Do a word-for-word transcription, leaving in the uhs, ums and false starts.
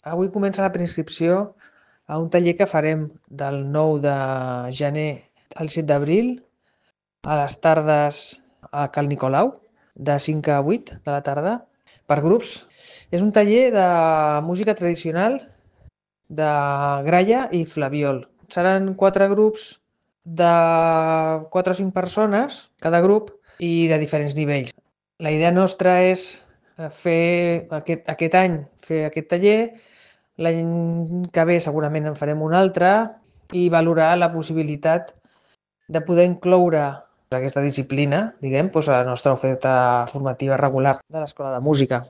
Avui comença la preinscripció a un taller que farem del nou de gener al set d'abril a les tardes a Cal Nicolau, de cinc a vuit de la tarda, per grups. És un taller de música tradicional de gralla i flabiol. Seran quatre grups de quatre o cinc persones, cada grup, i de diferents nivells. La idea nostra és eh, fer aquest, aquest any fer aquest taller, l'any que ve segurament en farem un altre i valorar la possibilitat de poder incloure aquesta disciplina, diguem, doncs a la nostra oferta formativa regular de l'Escola de Música.